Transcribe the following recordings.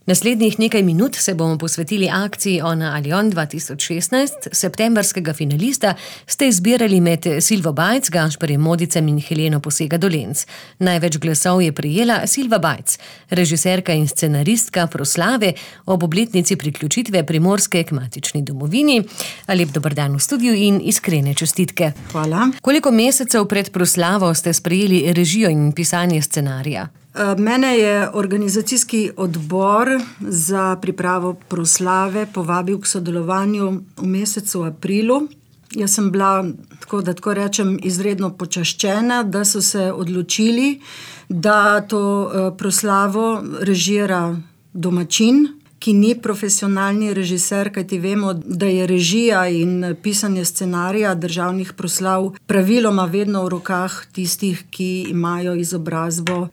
Naslednjih nekaj minut se bomo posvetili akciji Ona ali on 2016. Septembrskega finalista ste izbirali med Silvo Bajc, Gašperjem Modicem in Heleno Posega Dolenc. Največ glasov je prejela Silva Bajc, režiserka in scenaristka proslave ob obletnici priključitve Primorske k matični domovini. Lep dober dan v studiu in iskrene čestitke. Hvala. Koliko mesecev pred proslavo ste sprejeli režijo in pisanje scenarija? Mene je organizacijski odbor za pripravo proslave povabil k sodelovanju v mesecu aprilu. Jaz sem bila, tako rečem, izredno počaščena, da so se odločili, da to proslavo režira domačin, ki ni profesionalni režiser, kajti vemo, da je režija in pisanje scenarija državnih proslav praviloma vedno v rokah tistih, ki imajo izobrazbo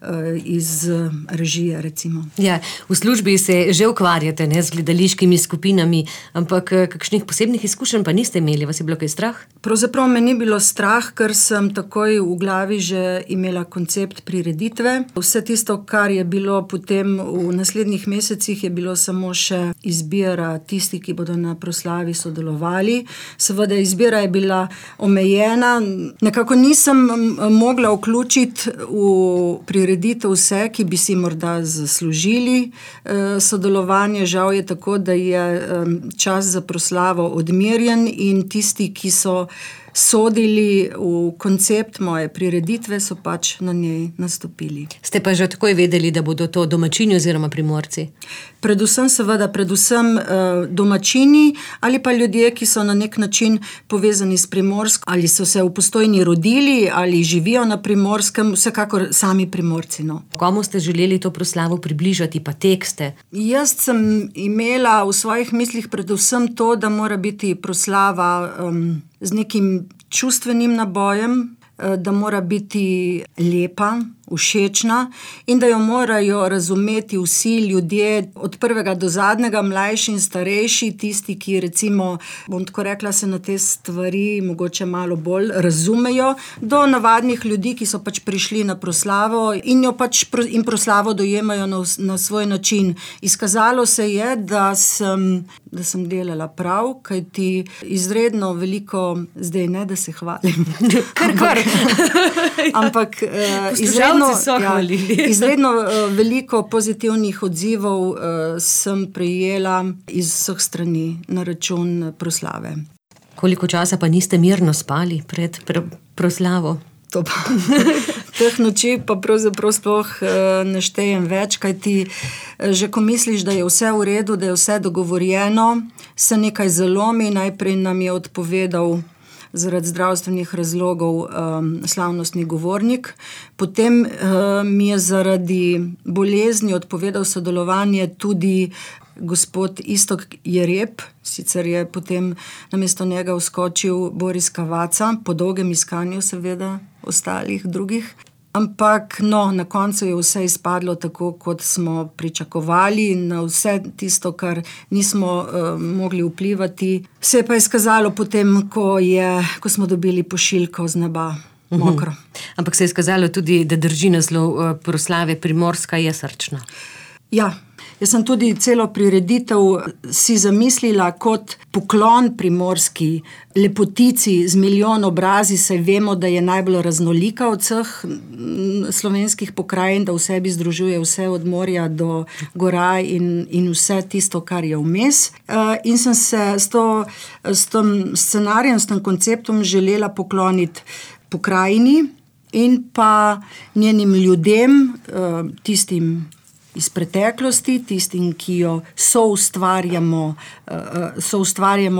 iz režije, recimo. Ja, v službi se že ukvarjate, z gledališkimi skupinami, ampak kakšnih posebnih izkušenj pa niste imeli, vas je bilo kaj strah? Pravzaprav me ni bilo strah, ker sem takoj v glavi že imela koncept prireditve. Vse tisto, kar je bilo potem v naslednjih mesecih, je bilo samo še izbira tistih, ki bodo na proslavi sodelovali. Seveda izbira je bila omejena. Nekako nisem mogla vključiti v prireditev vse, ki bi si morda zaslužili sodelovanje. Žal je tako, da je čas za proslavo odmerjen in tisti, ki so sodili v koncept moje prireditve, so pač na njej nastopili. Ste pa že takoj vedeli, da bodo to domačini oziroma Primorci? Predvsem domačini ali pa ljudje, ki so na nek način povezani s Primorsko, ali so se v Postojni rodili, ali živijo na Primorskem, vsekakor sami Primorci. Komu ste želeli to proslavo približati, pa tekste? Jaz sem imela v svojih mislih predvsem to, da mora biti proslava z nekim čustvenim nabojem, da mora biti lepa, všečna in da jo morajo razumeti vsi ljudje, od prvega do zadnjega, mlajši in starejši, tisti, ki recimo, bom tako rekla, se na te stvari mogoče malo bolj razumejo, do navadnih ljudi, ki so pač prišli na proslavo in jo pač in proslavo dojemajo na svoj način. Izkazalo se je, da sem delala prav, kajti izredno veliko, zdaj ne, da se hvalim. Kar. Ampak izredno veliko pozitivnih odzivov sem prejela iz vseh strani na račun proslave. Koliko časa pa niste mirno spali pred proslavo? To pa. Teh noči pa pravzaprav sploh ne štejem več, kajti že ko misliš, da je vse v redu, da je vse dogovorjeno, se nekaj zalomi. Najprej nam je odpovedal zaradi zdravstvenih razlogov slavnostni govornik. Potem mi je zaradi bolezni odpovedal sodelovanje tudi gospod Iztok Jereb, sicer je potem namesto njega vskočil Boris Kavaca, po dolgem iskanju seveda ostalih drugih. Ampak na koncu je vse izpadlo tako, kot smo pričakovali, na vse tisto, kar nismo mogli vplivati. Se je pa izkazalo potem, ko smo dobili pošiljko z neba, mokro. Ampak se je izkazalo tudi, da drži naslov proslave Primorska je srčna. Ja. Jaz sem tudi celo prireditev si zamislila kot poklon primorski lepotici z milijon obrazi, saj vemo, da je najbolj raznolika od vseh slovenskih pokrajin, da v sebi združuje vse od morja do gora in vse tisto, kar je vmes. In sem se s tem scenarijem, s tem konceptom želela pokloniti pokrajini in pa njenim ljudem, tistim iz preteklosti, tistim, ki jo soustvarjamo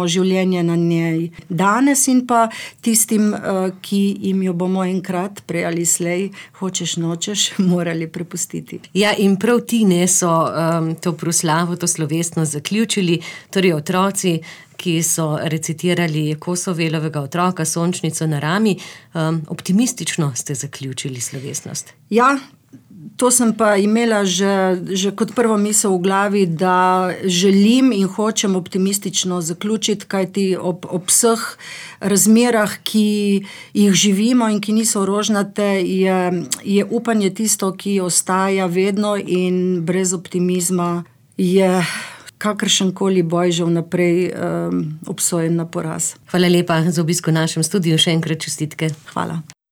življenje na njej danes in pa tistim, ki jim jo bomo enkrat, prej ali slej, hočeš nočeš, morali prepustiti. Ja, in prav ti so to proslavo, to slovesnost zaključili, torej otroci, ki so recitirali Kosovelovega otroka, Sončnico na rami. Optimistično ste zaključili slovesnost. Ja, to sem pa imela že kot prvo misel v glavi, da želim in hočem optimistično zaključiti, kajti ob vseh razmerah, ki jih živimo in ki niso rožnate, je upanje tisto, ki ostaja vedno, in brez optimizma je kakršenkoli boj že vnaprej obsojen na poraz. Hvala lepa za obisk v našem studiu, še enkrat čestitke. Hvala.